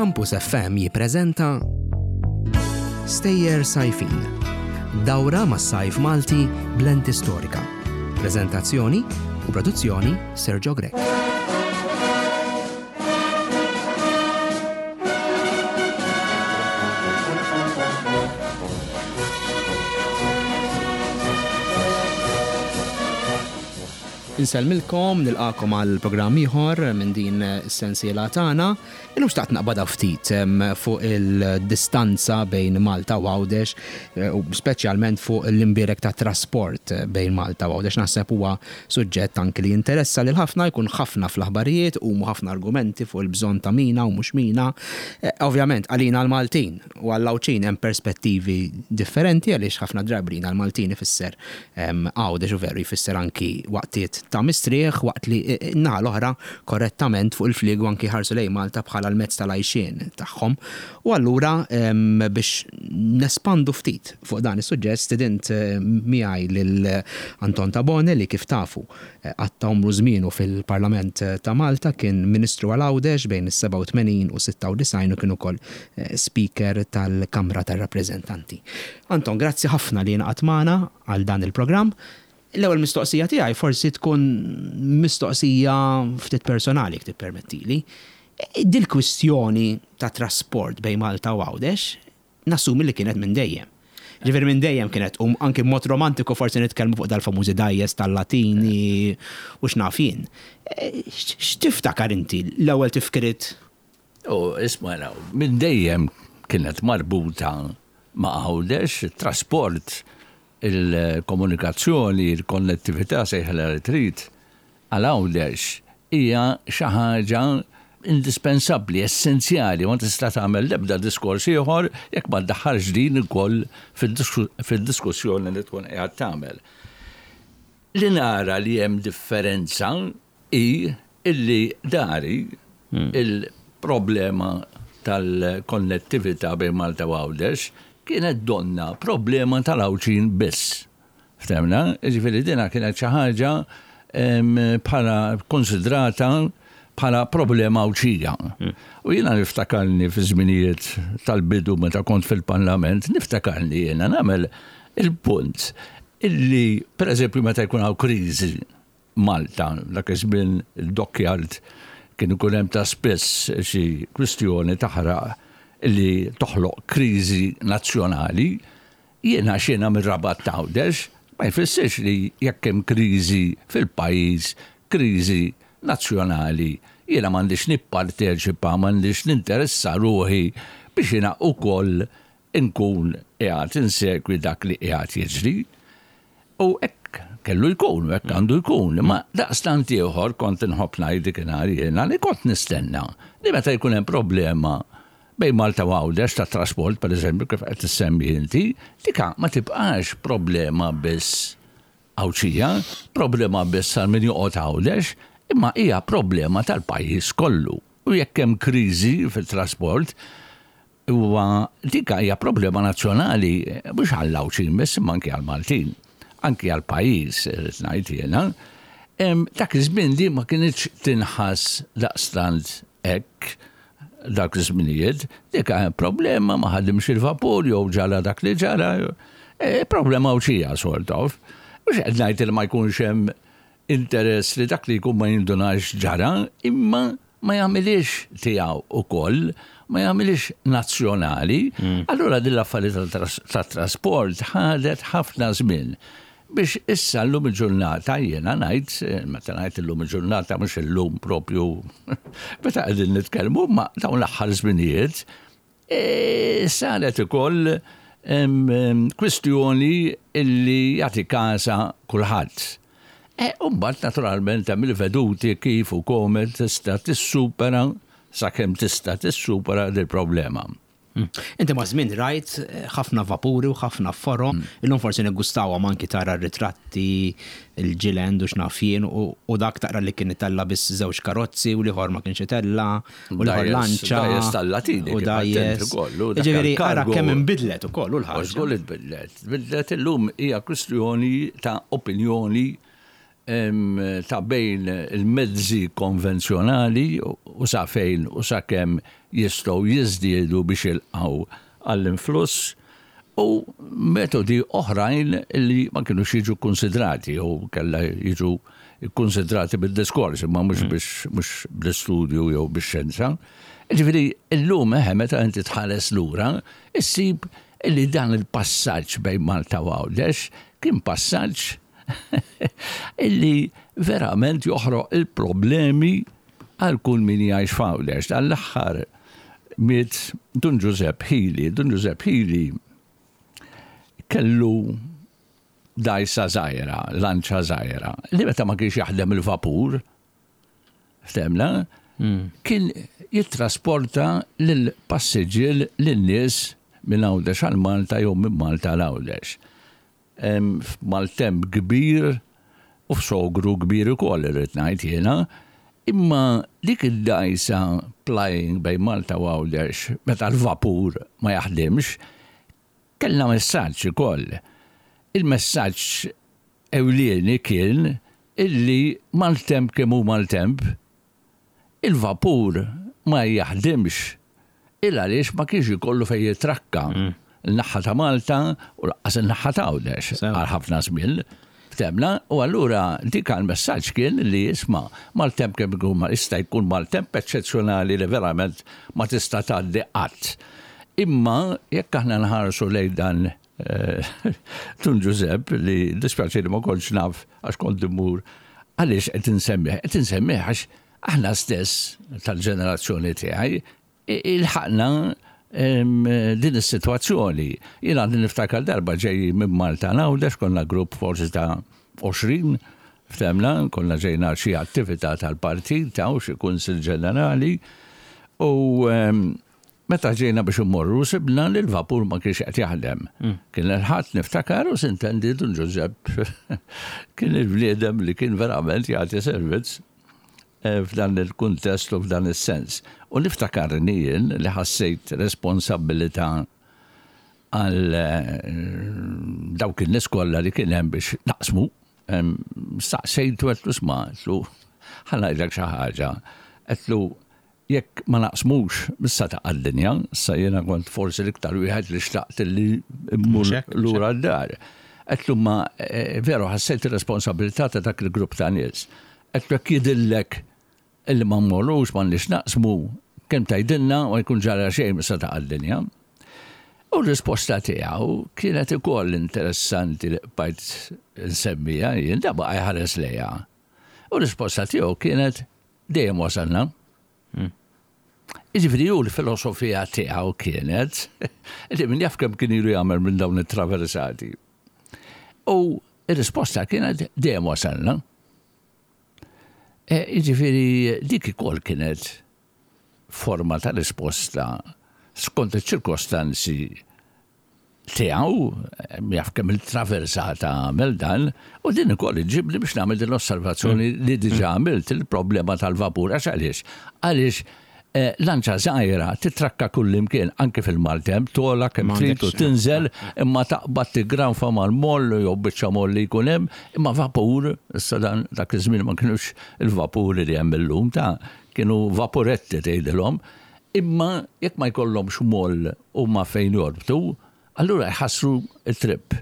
Campus FM jippreżenta Stejjer Sajfin. Dawra mas-sajf Malti b'lenti storika. Preżentazzjoni u produzzjoni Sergio Grech. Insellmilkom, nilqakom għal programm ieħor minn din is-sensiela tagħna. Illum xtaqt naqbadha ftit fuq il-distanza bejn Malta u Għawdex, eh, u speċjalment fuq l-imbierek ta' trasport bejn Malta u Għawdex. Naħseb huwa suġġett anki li jinteressa lil ħafna, jkun ħafna fl-aħbarijiet, huma ħafna argumenti fuq il-bżonn ta' mina u mhux mina. Eh, ovvjament, għalina l-Maltin u għall-Għawdxin hemm perspettivi differenti għaliex ħafna drabi lina l-Maltin ifisser Għawdex u veru jfisser anki waqtiet ta' mistrieħ waqt li n-naħa l-oħra korrettament fuq il-fliegu anki jħarsu lejn Malta bħala l-mezz tal-għajxien tagħhom. U allura biex nespandu ftit fuq dan is-suġġett stidint miegħi lil Anton Tabone li kif tafu qatta' għomru żmienu fil-Parlament ta' Malta, kien Ministru għal Għawdex bejn is-87 u 96 u kien ukoll Speaker tal-Kamra tar-Rappreżentanti. Anton, grazzi ħafna li ingħaqadt magħna għal dan il-programm. L-ewwel mistoqsija tiegħi forsi tkun mistoqsija ftit personali jekk tippermettili. Dil-kwistjoni ta' trasport bejn Malta u Għawdex nassumi li kienet minn dejjem. Ġifieri minn dejjem kienet tqum, anki b'mod romantiku forsi nitkellmu fuq dal-famużi dgħajjes tal-Latini u x'naf jien. X'tiftakar inti l-ewwel tifkiriet U isma' minn dejjem kienet marbuta ma' Għawdex, it-trasport, il-komunikazzjoni, il-konnettività sejħilha li trid, għal Għawdex hija xi ħaġa indispensabbli, essenzjali, ma tista' tagħmel l-ebda diskors ieħor jekk ma ddaħħalx din ukoll fid-diskussjoni li tkun qiegħed tagħmel. Li nara li hemm differenza hi illi dari il-problema tal-konnettività bejn Malta u Għawdex kienet donnha problema tal-Għawdxin biss. Ftehmna? Jiġifieri dina kienet xi ħaġa bħala konsidrata bħala problema Għawdxija. U jiena niftakarni fi żminijiet tal-bidu meta kont fil-Parlament, niftakarni jiena nagħmel il-punt illi pereżempju meta jkun hawn kriżi Malta, dak iż-żmien il-dockyard kien ikun hemm ta' spiss xi kwistjoni taħraq li toħloq kriżi nazzjonali. Jien għax jiena mir-Rabat t'Għawdex, ma jfissirx li jekk hemm kriżi fil-pajjiż, kriżi nazzjonali, jiena m'għandix nipparteċipa, m'għandix ninteressa ruħi biex jiena wkoll inkun qiegħed insegwi dak li qiegħed jiġri. U hekk kellu jkun, u hekk għandu jkun. Imma daqstant ieħor kont inħobb ngħid dikinhar jiena li kont nistenna li meta jkun hemm problema bejn Malta u Għawdex ta' trasport, pereżempju, kif qed issemmi inti, dika ma tibqax problema biss Għawdxija, problema biss għal min joqgħod Għawdex, imma hija problema tal-pajjiż kollu. U jekk hemm kriżi fit-trasport, Huwa dik hija problema nazzjonali mhux għall-Għawdxin biss imma anki għall-Maltin, anki għall-pajjiż irrid ngħid jiena. Dak iż-żmien din ma kinitx tinħass daqstant hekk dak iż-żminijiet, dik problema ma ħadimx il-vapur jew ġara dak li ġara, e, problema Għawdxija sort of. Mhux qed ngħid li ma jkunx hemm interess li dak li jkun ma jindunax ġara, imma ma jagħmilhiex tiegħu ukoll, ma jagħmilhiex nazzjonali, mm. allura din l-affari tat-trasport ħadet ħafna żmien biex issa llum il-ġurnata jiena ngħid, eh, meta ngħid illum il-ġurnata mhux illum propju meta qegħdin nitkellmu, ma dawn l-aħħar żminijiet E saret ukoll kwistjoni illi jagħti każha kulħadd. E u mbagħad naturalment hemm il-veduti kif u kome tista' tissupera sakemm tista' tissupera dil-problema. Hmm. Inti ma' żmien rajt eh, ħafna vapuri u ħafna forom, hmm. illum forsi niggustawhom anki tara r-ritratti, il-ġilend u x'naf jien u dak taqra li kien itella biss żewġ karozzi u l-ieħor ma kienx itella. U l-ieħor lanċa. Dajes tal-Latini. U dajes. Ġifieri ara kemm inbidlet ukoll u l-ħaġa. Żgur li tbidlet. Tbidlet illum hija kwistjoni ta' opinjoni. ta' bejn il-mezzi konvenzjonali u sa fejn u sakemm jistgħu jiżdiedu biex jilqgħu għall-influss u metodi oħrajn li ma kinux jiġu kkunsidrati jew kellha jiġu kkunsidrati bid-diskors imma mhux biex mhux bl-istudju jew bix-xjenza. Jiġifieri llum eħe meta inti tħares lura issib illi dan il-passaġġ bejn Malta u Għawdex kien passaġġ illi verament joħroq il-problemi għal kull min jgħix f'Għawdex. Dan l-aħħar miet Dun Ġużepp Hili. Dun Ġużepp Hili kellu dgħajsa żgħira, lanċa żgħira, li meta ma kienx jaħdem il-vapur, ftemna, kien jittrasporta lill-passiġġier lin-nies minn Għawdex għal Malta jew minn Malta għal Għawdex. F'maltemp kbir u f'sogru kbir ukoll irrid ngħid jiena, imma dik id-dgħajsa plying bejn Malta u Għawdex meta l-vapur ma jaħdimx, kellha messaġġ ukoll. Il-messaġġ ewlieni kien illi maltemp kemm hu maltemp, Il-vapur ma jaħdimx il għaliex ma kienx ikollu fejn jitrakka n-naħa ta' Malta u laqqas in-naħa ta' Għawdex għal ħafna żmien. Ftemna? U allura dik għall-messaġġ kien li isma' maltemp kemm ikun jista' jkun maltemp eċċezzjonali li verament ma tista' tgħaddi qatt. Imma jekk aħna nħarsu lejn dan Dun Ġużepp li dispjaċini ma kontx naf għax kont immur għaliex qed insemmih. Qed insemmih għax aħna stess tal-ġenerazzjoni tiegħi ilħaqna din is-sitwazzjoni. Jien għandi niftakar darba ġej minn Malta Għawdex konna grupp forsi ta' 20 ftemna, konna ġejna xi attività tal-partit ta' xi kunsill ġenerali u Meta ġejna biex immorru sibna li l-vapur ma kienx qed jaħdem. Kien il-Ħadd niftakar u sintendi Dun Ġużepp kien il-bniedem li kien verament jagħti servizz eh, f'dan il-kuntest u f'dan is-sens. U niftakarni jien li ħassejt responsabilità għal eh, dawk in-nies kollha li kien hemm biex naqsmu. Staqsejtu għedtlu sma' għedtlu ħa ngħidlek xi ħaġa. Għedtlu Jekk ma naqsmux, issa taqa' d-dinja, issa jiena kont forsi l-iktar wieħed li xtaqt li mmur lura d-dar. Għedtlu ma eh, veru ħassejt ir-responsabilità ta' dak il-grupp ta' nies. Għedtlu jekk jidillek illi ma mmorrux, ma nix naqsmu, kemm tgħidilna u jkun ġara xejn issa taqa' d-dinja. U r-risposta tiegħu kienet ukoll interessanti li bqajt nsemmija jien, da baqa' jħares lejha. U r-risposta tiegħu kienet Dejjem wasalna. Jiġifieri hu l-filosofija tiegħu kienet li min jaf kemm kien ilu jagħmel minn dawn it-traversati. U r-risposta kienet dejjem wasalna. E, jiġifieri dik ukoll kienet forma ta' risposta skont iċ-ċirkostanzi tiegħu, jaf kemm il-traversata għamel dan, u din ukoll iġibni biex nagħmel din l-osservazzjoni mm. li diġà għamilt il-problema tal-vapur għax għaliex? Għaliex eh, lanċa żgħira titrakka kull imkien anke fil-maltemp tola kemm trid u tinżel imma taqbad tigranfa mal-moll jew biċċa moll li jkun hemm, imma vapur, issa dan dak iż-żmien ma kinux il-vapuri li hemm illum ta' kienu vapuretti tgħidilhom, Imma jekk ma jkollhomx moll huma fejn jorbtu, allura jħassru t-trip.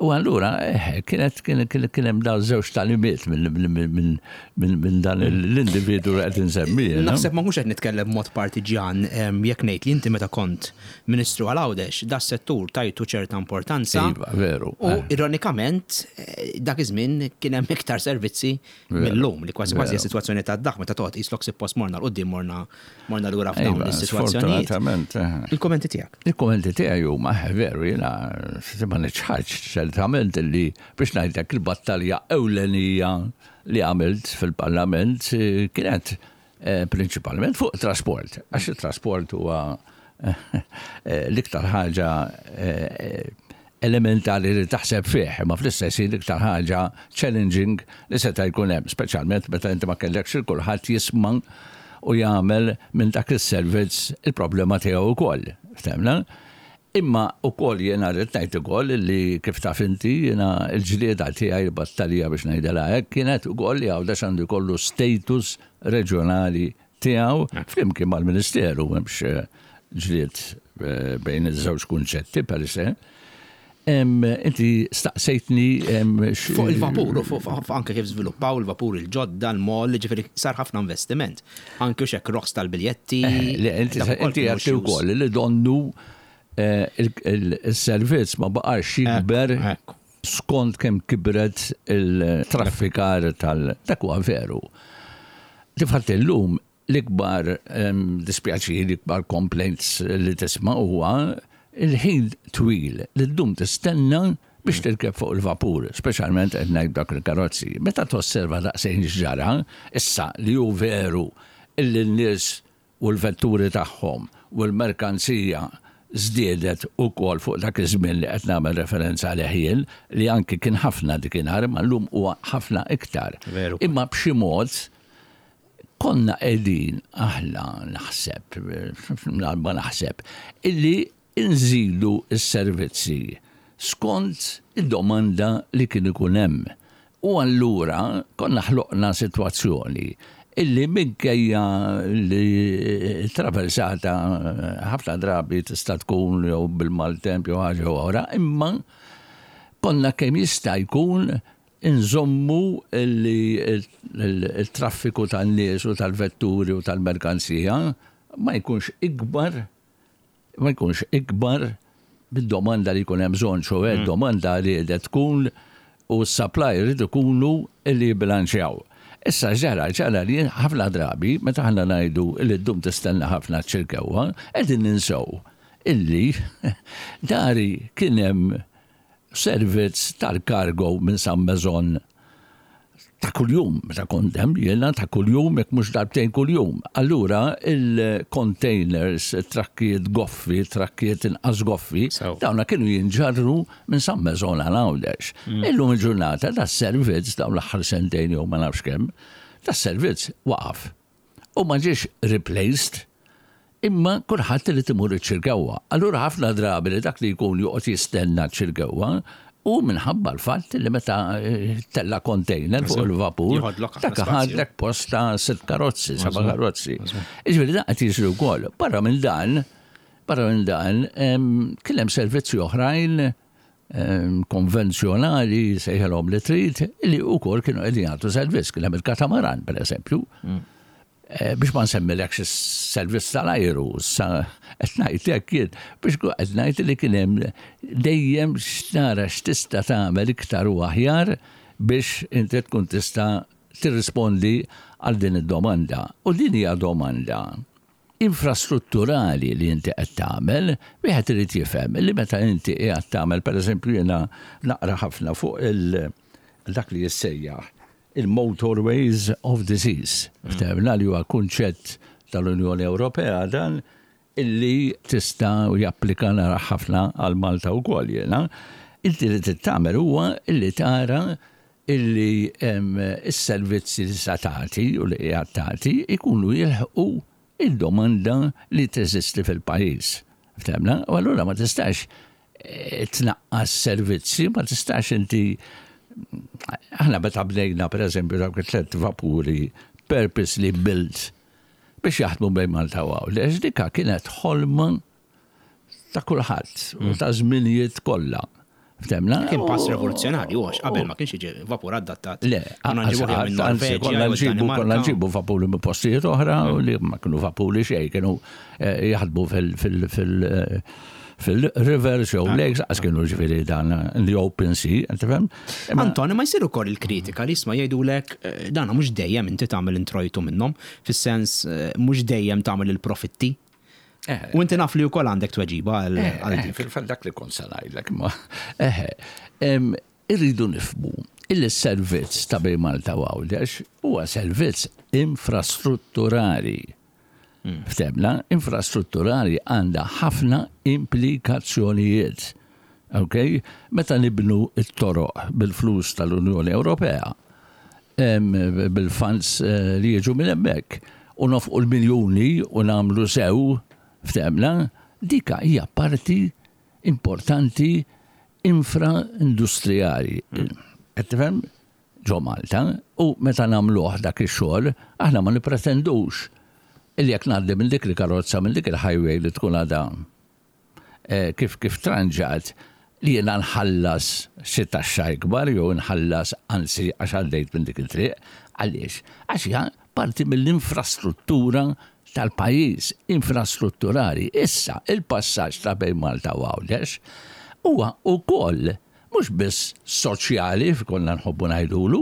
U allura eh, kienet kien hemm dawn żewġ talimiet minn dan l-individu li qed insemmi. Naħseb ma mhux qed nitkellem b'mod partiġjan jekk ngħid li inti meta kont Ministru għal Għawdex, da settur tajtu ċerta importanza. Iva, veru. U eh. ironikament eh, dak iż-żmien kien hemm iktar servizzi Millum li kważi kważi situazzjoni ta' daħ meta toqgħod islok suppost morna l qudiem morna morna lura f'dawn iva, is-sitwazzjonijiet. Eh. Il-kommenti tiegħek. Il-kommenti tiegħi huma eh, veru jiena ma niċħadx ċertament li biex ngħidlek il-battalja ewlenija li għamilt fil-Parlament eh, kienet prinċipalment fuq trasport, għax il-trasport huwa l-iktar ħaġa elementari li taħseb fih, imma fl-istess ħin l-iktar ħaġa challenging li seta' jkun hemm, speċjalment meta inti ma kellekx il kulħadd jisma' u jagħmel minn dak is-servizz il-problema tiegħu wkoll. Ftemna? Imma ukoll jiena rrid ngħid ukoll li kif taf inti jiena l-ġlieda tiegħi, l-battalja biex ngħidilha hekk, kienet ukoll li Għawdex għandu jkollu status reġjonali tiegħu flimkien mal-Ministeru, m'hemmx ġlied bejn iż-żewġ kunċetti per se. Inti staqsejtni Fuq il-vapur u fuq anke kif żviluppaw il-vapur il-ġodda, l-moll, ġifieri sar ħafna investiment. Anke xek roħs tal-biljetti. Le, inti għedtli wkoll li donnu il-servizz ma baqax jikber skont kemm kibret il-traffikar tal dak huwa veru. Tifħat illum l-ikbar dispjaċir, l-ikbar complaints li tisma' huwa il-ħin twil li ddum tistenna biex tirkeb fuq il-vapur, speċjalment qed ngħid dak il-karozzi. Meta tosserva daqsxejn x'ġara, issa li hu veru illi n-nies u l-vetturi tagħhom u l-merkanzija żdiedet ukoll fuq dak iż-żmien li qed nagħmel referenza għalih jien, li anki kien ħafna dikinhar imma llum huwa ħafna iktar. Imma b'xi mod konna qegħdin aħna naħseb, ma naħseb, illi inżidu s-servizzi skont id-domanda li kien ikun hemm. U allura konna ħloqna sitwazzjoni illi minkejja li traversata ħafna drabi tista' tkun jew bil-maltemp jew ħaġa oħra, imma konna kemm jista' jkun inżommu li l-traffiku tan-nies u tal-vetturi u tal-merkanzija ma jkunx ikbar ma jkunx ikbar mid-domanda li jkun hemm bżonn, ċoe d-domanda riedet tkun u s-supply jrid ikunu li jibbilanċjaw. Issa x'ġara? Ġara li ħafna drabi meta aħna ngħidu li ddum tistenna ħafna ċ-Ċirkewwa, qegħdin ninsew illi dari kien hemm servizz tal-cargo minn San Maison ta' kuljum, meta kont hemm jiena ta' kuljum jekk mhux darbtejn kuljum. Allura il-containers, trakkijiet goffi, trakkijiet inqas goffi, dawna kienu jinġarru minn San Maison għal Għawdex. Illum il-ġurnata da servizz dawn l-aħħar sentejn jew ma nafx kemm, da servizz waqaf. U ma ġiex replaced imma kulħadd irid imur iċ-Ċirkewwa. Allura ħafna drabi li dak li jkun joqgħod jistenna ċ-Ċirkewwa hu minħabba l-fatt li meta tella' container fuq il-vapur, dak ħadlek post ta' sitt karozzi, seba' karozzi. Jiġifieri dan qed jiġri wkoll. Barra minn dan, barra minn dan, kien hemm servizzi oħrajn konvenzjonali, sejħilhom li trid, li wkoll kienu qegħdin jagħtu servizz, kien hemm il-katamaran pereżempju. Eh, biex ma nsemmilekx is-servizz tal-ajru, sa qed ngħid hekk jien, biex qed ngħid li kien hemm dejjem x'tara x'tista' tagħmel iktar u aħjar biex inti tkun tista' tirrispondi għal din id-domanda. U din hija domanda infrastrutturali li inti qed tagħmel, wieħed irid jifhem li meta inti qiegħed tagħmel, pereżempju jiena naqra ħafna fuq il dak li jissejjaħ il-motorways of the seas. Ftehmna li huwa kunċett tal-Unjoni Ewropea dan illi tista' u japplika nara ħafna għal Malta wkoll jiena. Inti li trid tagħmel huwa illi tara illi s-servizzi li sa tagħti u li qiegħed tagħti jkunu jilħqu id-domanda li teżisti fil-pajjiż. Ftehmna? U allura ma tistax eh, tnaqqas servizzi, ma tistax inti aħna meta bnejna pereżempju dawk it-tlet vapuri purposely built biex jaħdmu bejn Malta u Għawdex, dika kienet ħolma ta' kulħadd u mm. ta' żminijiet kollha. Ftemna? Kien pass revoluzzjonarju, għax qabel ma kienx jiġi vapur adattat. Le, konna nġibu konna nġibu vapuri minn postijiet oħra u li ma kienu vapuri xejn, kienu eh, jaħdmu fil- fil- fil-rivers jew ah. lakes, għas kienu ġifiri dan the open sea, tifhem? Anton, ma jsir ukoll il-kritika li jisma' jgħidulek eh, dan mhux dejjem inti tagħmel introjtu minnhom, fis-sens eh, mhux dejjem tagħmel il-profitti. Eh. U inti naf li wkoll għandek tweġiba għal eh, eh, dik. Fil-fatt dak li kont se ngħidlek ma. Eħe, irridu nifhmu illi s-servizz ta' bejn Malta u Għawdex huwa servizz infrastrutturali. Hmm. Ftehmna, infrastrutturali għandha ħafna implikazzjonijiet. Ok? Meta nibnu t-toroq bil-flus tal-Unjoni Ewropea, bil-funds eh, li jiġu minn hemmhekk u nofqu l-miljuni u nagħmlu sew ftehmna, dika hija parti importanti infra-industrijali. Qed tifhem? Ġo Malta, u meta nagħmluh dak ix-xogħol, aħna ma nippretendux illi jekk ngħaddi minn dik il-karozza minn dik il-highway li tkun għadha kif kif tranġat li jiena nħallas xi taxxa ikbar jew nħallas anzi għax għaddejt minn dik it-triq. Għaliex? Għax hija parti mill-infrastruttura tal-pajjiż, infrastrutturali. Issa, il-passaġġ ta' bejn Malta u Għawdex huwa wkoll mhux biss soċjali, konna nħobbu ngħidulu,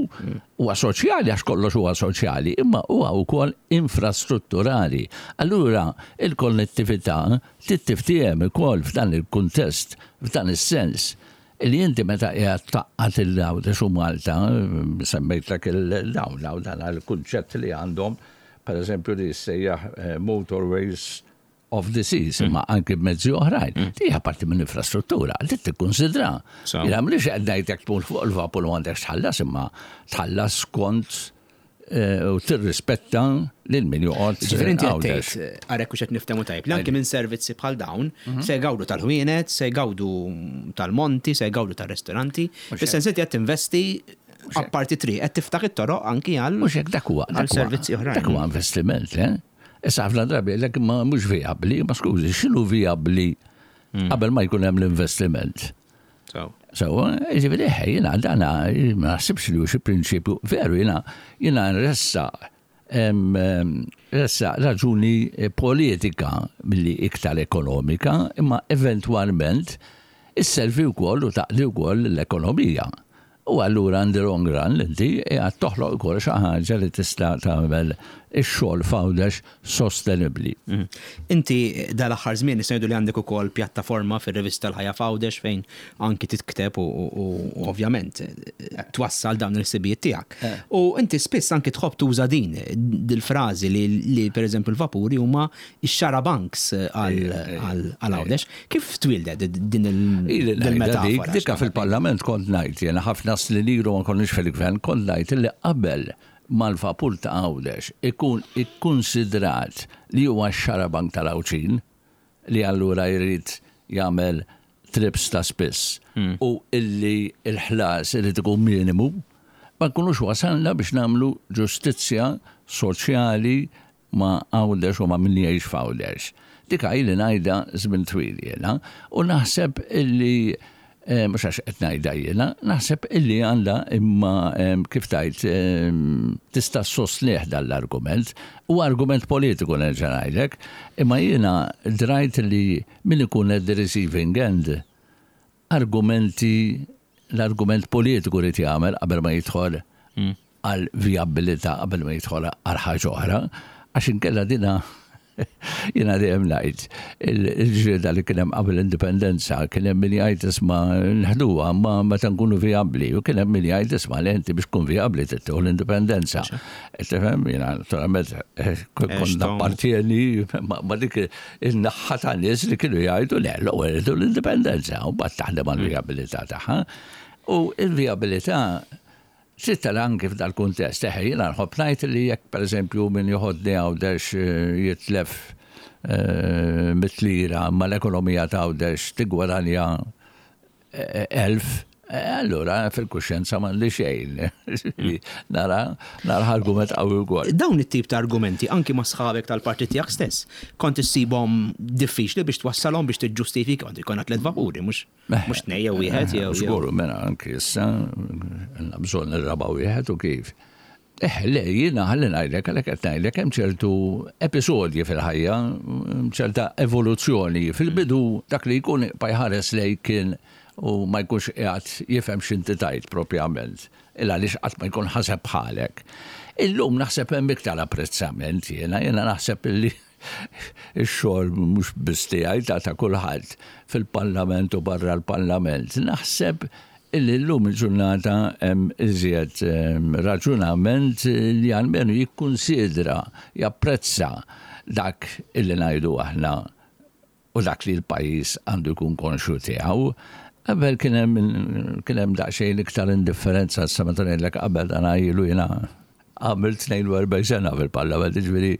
huwa soċjali għax kollox huwa soċjali, imma huwa wkoll infrastrutturali. Allura il-konnettività trid tiftiehem ukoll f'dan il-kuntest, f'dan is-sens, li inti meta qiegħed tgħaqqad il-Għawdex u Malta, semmejtlek il-dawn, dan il-kunċett li għandhom, pereżempju li jissejjaħ motorways of the seas, imma anki b'mezzi oħrajn. Hija parti minn infrastruttura li tikkunsidra. Jiena m'iniex qed ngħid jekk tmur fuq il-vapur u għandek tħallas, imma tħallas skont u tirrispetta lil min joqgħod. Ġifieri inti qed tgħid, għarek hux qed niftehmu tajjeb, li anki minn servizzi bħal dawn se jgawdu tal-ħwienet, se jgawdu tal-monti, se jgawdu tar-ristoranti. Fis-sens inti qed tinvesti apparti triq, qed tiftaħ it-toroq anki għal Mhux hekk, dak huwa għal servizzi oħrajn. Dak huwa investiment, eh? Issa ħafna drabi jgħidlek imma mhux vijabbli, ma skużi, x'inhu vijabbli qabel ma jkun hemm l-investiment? So, jiġifieri eħe, jiena dana ma naħsibx li hu xi prinċipju veru jiena jiena nressaq ressaq raġuni politika milli iktar ekonomika, imma eventwalment isservi wkoll u taqdi wkoll l-ekonomija. U allura in the long run inti qiegħed toħloq ukoll xi ħaġa li tista' tagħmel ix-xogħol f'Għawdex sostenibbli. Inti dal-aħħar żmien nistgħu ngħidu li għandek ukoll pjattaforma fir-rivista L-Ħajja f'Għawdex fejn anki tikteb u ovvjament twassal dawn il-ħsibijiet tiegħek. U inti spiss anki tħobb tuża din dil-frażi li pereżempju l-vapuri huma ix-xarabanks għal Għawdex. Kif twieldet din il-metafora? Dika fil-Parlament kont ngħid, jiena ħafna snin ilu ma konniex fil-Gvern, kont ngħid li qabel mal-vapur ta' Għawdex ikun ikkunsidrat li huwa x-xarabank tal-Għawdxin, li allura jrid jagħmel trips ta' spiss u illi l-ħlas irid ikun minimu, ma nkunux wasalna biex nagħmlu ġustizzja soċjali ma' Għawdex u ma' min jgħix f'Għawdex. Dik ili ngħidha żmien twil jiena u naħseb illi mhux għax qed ngħidha jiena, naħseb illi għandha imma kif tgħid tista' ssostnih dan l-argument. Huwa argument politiku nerġa' ngħidlek, imma jiena drajt li min ikun at the receiving end argumenti l-argument politiku rid jagħmel qabel ma jidħol għal vijabbilità qabel ma jidħol għal ħaġa oħra, għax inkella dina jiena dejjem ngħid il-ġlieda li kien hemm qabel l-indipendenza kien hemm min jgħid isma' nħduha ma meta nkunu vijabbli u kien hemm min jgħid isma' li inti biex tkun vijabbli trid tieħu l-indipendenza. Tifhem jiena naturalment kont nappartieni ma' dik in-naħa ta' nies li kienu jgħidu le l-ewwel irridu l-indipendenza u mbagħad taħdem għall-vijabilità tagħha. U l-vijabilità Trid tara anki f'dal-kuntest, eħe, jiena nħobb ngħid li jekk pereżempju min joħodni Għawdex jitlef mit-lira imma l-ekonomija ta' Għawdex tiggwadanja 1000, allura fil-kuxjenza m'għandi xejn. Nara, nara argument qawwi wkoll. Dawn it-tip ta' argumenti anki ma' sħabek tal-partit tiegħek stess, kont issibhom diffiċli biex twassalhom biex tiġġustifika, għandu jkollna tliet vapuri, mhux Mhux tnej jew wieħed jew. Żgur, mela anki issa għandna bżonn ir-raba' wieħed u kif. Eh, le, jiena ħalli ngħidlek għalhekk qed ngħidlek hemm ċertu episodji fil-ħajja, ċerta evoluzzjoni. Fil-bidu dak li jkun jibqa' jħares lejk kien u ma jkunx qiegħed jifhem x'inti tgħid propjament. Il għaliex qatt ma jkun ħaseb bħalek. Illum naħseb hemm iktar apprezzament jiena, jiena naħseb illi Ix-xogħol mhux biss tiegħi ta' ta' kulħadd fil-Parlament u barra l-Parlament. Naħseb illi llum il-ġurnata hemm iżjed raġunament li almenu jikkunsidra, japprezza dak illi ngħidu aħna u dak li l-pajjiż għandu jkun konxju tiegħu. Qabel kien hemm kien hemm daqsxejn iktar indifferenza issa meta ngħidlek qabel dan ilu jiena għamilt 42 sena fil-Parlament, jiġifieri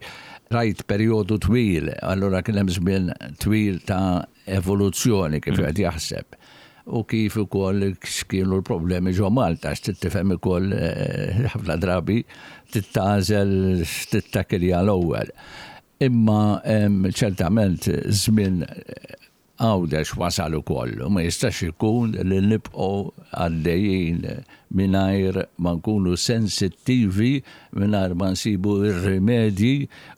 rajt perjodu twil, allura kien hemm żmien twil ta' evoluzzjoni kif qed jaħseb u kif ukoll x'kienu l-problemi ġo Malta, għax trid tifhem ukoll eh, ħafna drabi trid tagħżel x'tittakilja l-ewwel. Imma ċertament żmien Għawdex wasal ukoll u ma jistax ikun li nibqgħu għaddejjin mingħajr ma nkunu sensittivi, mingħajr ma nsibu r-rimedji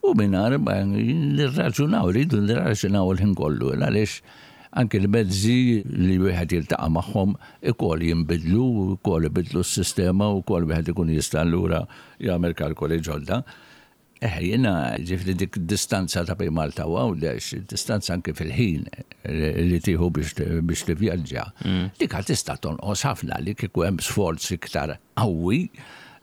u mingħajr ma nirraġunaw, rridu nirraġunaw il-ħin kollu għaliex anki l-mezzi li wieħed jiltaqa' magħhom ukoll jinbidlu, ukoll ibiddlu s-sistema u wkoll wieħed ikun jista' allura jagħmel kalkoli ġodda. Eh, jiena ġifri dik distanza ta' bejn Malta u Għawdex, distanza anke fil-ħin li tieħu biex tivvjaġġa. Dik tista' tonqos ħafna li kieku hemm sforz iktar qawwi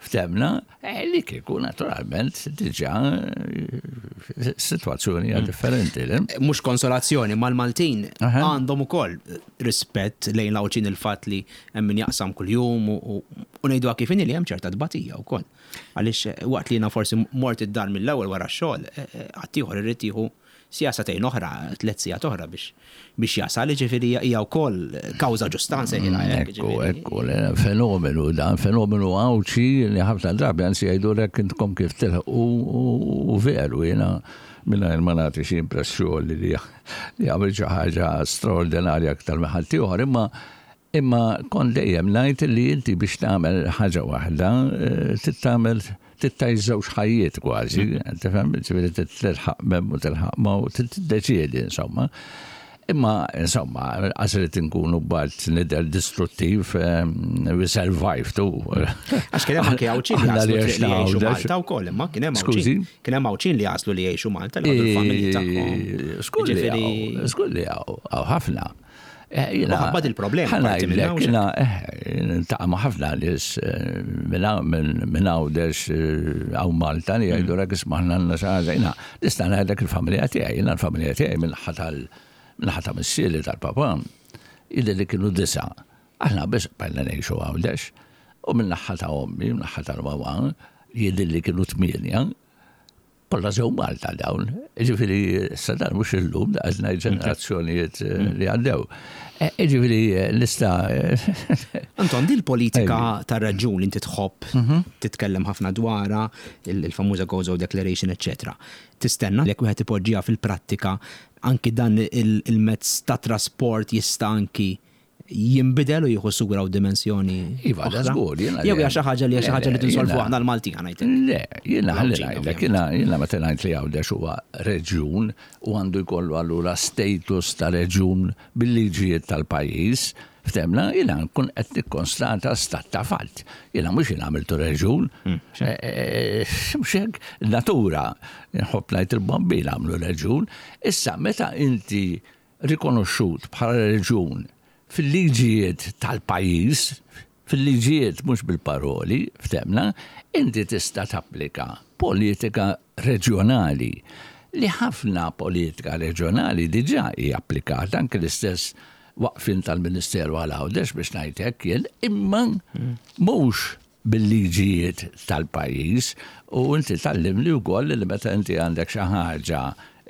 ftemna eh, li kieku naturalment diġà eh, situazzjoni hija differenti. Le? Mhux konsolazzjoni, mal-Maltin għandhom ukoll rispett lejn l-Għawdxin il-fatt li hemm min jaqsam kuljum u ngħiduha kif inhi li hemm ċerta tbatija wkoll. Għaliex eh, waqt li jiena forsi mort id-dar mill-ewwel wara x-xogħol, eh, eh, ħaddieħor irid jieħu sija sagħtejn oħra, tliet sigħat oħra biex biex jasal, jiġifieri hija wkoll kawża ġusta nsejħilha hekk. Ekku, ekku, fenomenu dan, fenomenu Għawdxi li ħafna drabi anzi jgħidulek intkom kif tilħqu u veru jiena mingħajr ma nagħti xi impressjoni li għamil xi ħaġa straordinarja aktar minn ħaddieħor, imma Imma kont dejjem ngħid li inti biex tagħmel ħaġa waħda trid tagħmel trid tgħix żewġ ħajjiet kważi, tifhem? Ġifieri trid tilħaq m'hemm u tilħaq ma' u trid tiddeċiedi insomma. Imma insomma, qas irid inkunu mbagħad nidher distruttiv, we survived too. Għax kien hemm anke Għawdxin li għażlu li jgħixu Malta wkoll, imma kien hemm Għawdxin. Kien hemm Għawdxin li għażlu li jgħixu Malta li ħadu l-familji tagħhom. Żgur li hawn, żgur li hawn, hawn ħafna. Eh, Ħabbad il-problema. Ħanajdlek, jina, eh, ntaqa ma' ħafna nies eh, minn Għawdex għaw Malta li jgħidu rek isma' ħna għandna xi ħaġa. Jina, nista' ngħidlek il-familja tiegħi, jiena l-familja tiegħi minn ħatal minn ħata missieri tal-papa, illi li kienu disa. Aħna biss bajna ngħixu Għawdex. U minn naħa ta' ommi, minn naħa tal-mama, jidher li kienu tmienja, Kollha ġew Malta dawn. Jiġifieri issa dan mhux illum, da qed ngħid ġenerazzjonijiet eh, li għaddew. Eh, jiġifieri eh, nista' Anton, din politika tar-raġun li inti tħobb mhm. titkellem ħafna dwarha, il-famuża Gozo Declaration, eċċetera. Tistenna jekk wieħed ipoġġiha fil-prattika anki dan il-mezz ta' trasport jista' anki jinbidel u jieħu sura u dimensjoni. Iva, da żgur. Jew hija xi ħaġa li hija xi ħaġa li tinsolvu aħna l-Maltin ngħidlek. Le, jiena ħalli ngħidlek, jiena jiena meta ngħid li Għawdex huwa reġjun u għandu jkollu allura status ta' reġjun bil-liġijiet tal-pajjiż, ftemna, jiena nkun qed nikkonstata stat ta' fatt. Jiena mhux jien għamiltu reġjun, mm, eh, eh, mhux hekk, natura, nħobb ngħid il-bambin għamlu reġjun. Issa meta inti rikonoxxut bħala reġjun fil-liġijiet tal-pajjiż, fil-liġijiet mhux bil-paroli, ftemna, inti tista' tapplika politika reġjonali li ħafna politika reġjonali diġà hi applikata anke l-istess waqfien tal-Ministeru għal Għawdex biex ngħid hekk jien, imma mhux bil-liġijiet tal-pajjiż u inti tgħallimni wkoll li meta inti għandek xi ħaġa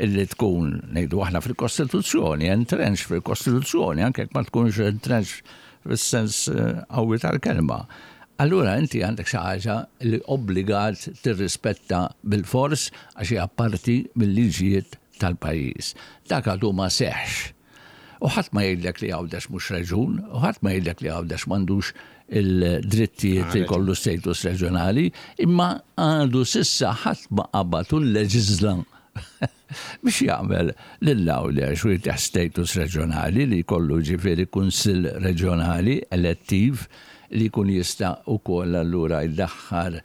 li tkun ngħidu aħna fil-Kostituzzjoni, entrenched fil-Kostituzzjoni, anke jekk ma tkunx entrenched fis-sens eh, qawwi tal-kelma. Allura inti għandek xi ħaġa li obbligat tirrispetta bil-fors għax hija parti mill-liġijiet tal-pajjiż. Dak għadu ma seħx. U ħadd ma jgħidlek li Għawdex mhux reġun, u ħadd ma jgħidlek li Għawdex m'għandux il-drittijiet li jkollu status reġjonali, imma għadu sissa ħadd ma qabad u lleġiżla biex jagħmel lil Għawdex u jtih status reġjonali li jkollu ġifieri kunsill reġjonali elettiv li jkun jista' wkoll allura jdaħħal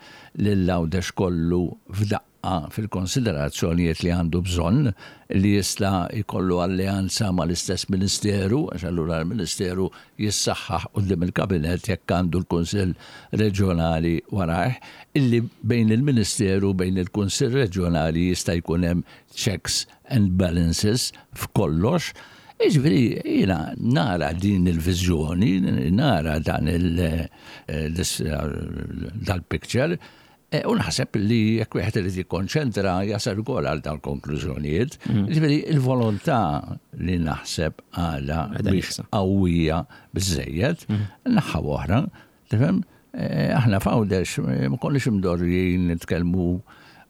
lil Għawdex kollu f'daqqa fil-konsiderazzjonijiet li għandu bżonn li jista' jkollu alleanza mal-istess Ministeru, għax allura l-Ministeru jissaħħaħ quddiem il-Kabinett jekk għandu l-Kunsill Reġjonali warajh, illi bejn il-Ministeru u bejn il-Kunsill Reġjonali jista' jkun hemm checks and balances f'kollox. Jiġifieri jiena nara din il-viżjoni, nara dan il dal-picture. E, u naħseb li jekk wieħed irid jikkonċentra jasal ukoll għal dawn konklużjonijiet. Mm. Ġifieri il-volontà li naħseb għala biex qawwija biżejjed, mm. naħa oħra, tifhem, e, aħna f'Għawdex e, ma konniex imdorrijin nitkellmu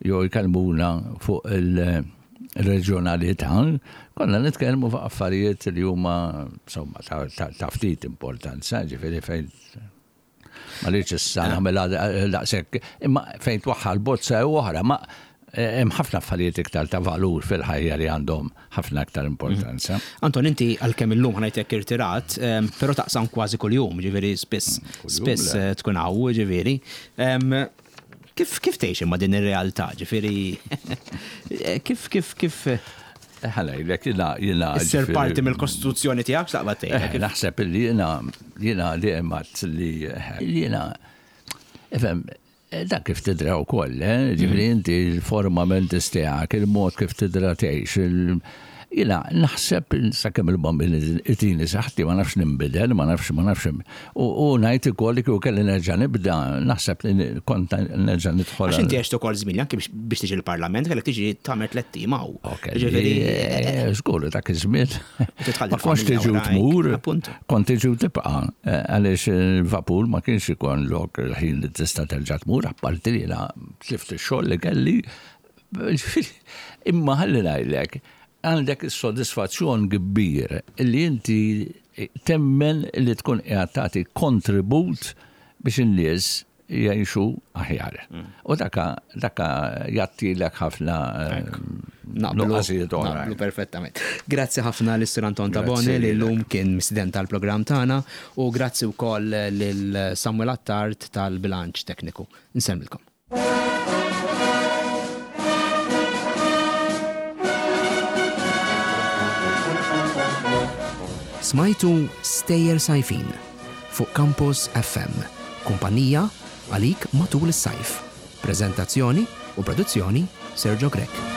jew jkellmuna fuq il-reġjonalità, konna nitkellmu fuq affarijiet li huma insomma ta' ftit importanza, ġifieri fejn Ma rridx issa nagħmilha daqshekk, imma fejn twaħħal bozza jew oħra, ma eh, hemm ħafna affarijiet iktar ta' valur fil-ħajja li għandhom ħafna iktar importanza. Mm. Anton, inti għalkemm illum ħanajtek irtirat, ehm, però taqsam kważi kuljum, ġifieri spiss mm, spiss eh, tkun hawn, ġifieri. Ehm, kif kif tgħix imma din ir-realtà, ġifieri eh, kif kif kif Ħalajlek, jina, jina. Issir parti mill-kostituzzjoni tiegħek x'taqbad tgħid. Eh, naħseb li jina, jina dejjem għadt li jina, ifhem, eh, dak kif tidra wkoll, eh, ġifieri mm. inti l-forma mentis tiegħek, il-mod kif tidra tgħix, Jina, naħseb sakemm il-bambin itini saħti, ma nafx nimbidel, ma nafx, ma nafx. U ngħid ukoll li kieku kelli nerġa' nibda, naħseb li kont nerġa' nidħol. Għax inti għext ukoll żmien anke biex tiġi l-Parlament kellek tiġi tagħmel tlett ijiem hawn. Ġifieri eh, żgur dak iż-żmien. Ma kontx tiġi u tmur, kont tiġi u tibqa' eh, għaliex il-vapur ma kienx ikun lok il-ħin li tista' terġa' tmur, apparti li jiena tlift ix-xogħol li kelli. Imma ħalli ngħidlek, għandek is-sodisfazzjon kbir li inti temmen li tkun qiegħed tagħti kontribut biex in-nies jgħixu aħjar. Mm. U daka daka jattilek ħafna eh, nuqqasijiet oħra. Naqblu perfettament. Grazzi ħafna l Sir Anton Tabone li llum kien mistieden tal-programm tagħna u grazzi wkoll lil Samuel Attard tal-bilanċ tekniku. Nsellmilkom. Smajtu Stejjer Sajfin fuq Campus FM, kumpanija għalik matul is-sajf. Preżentazzjoni u produzzjoni Sergio Grech.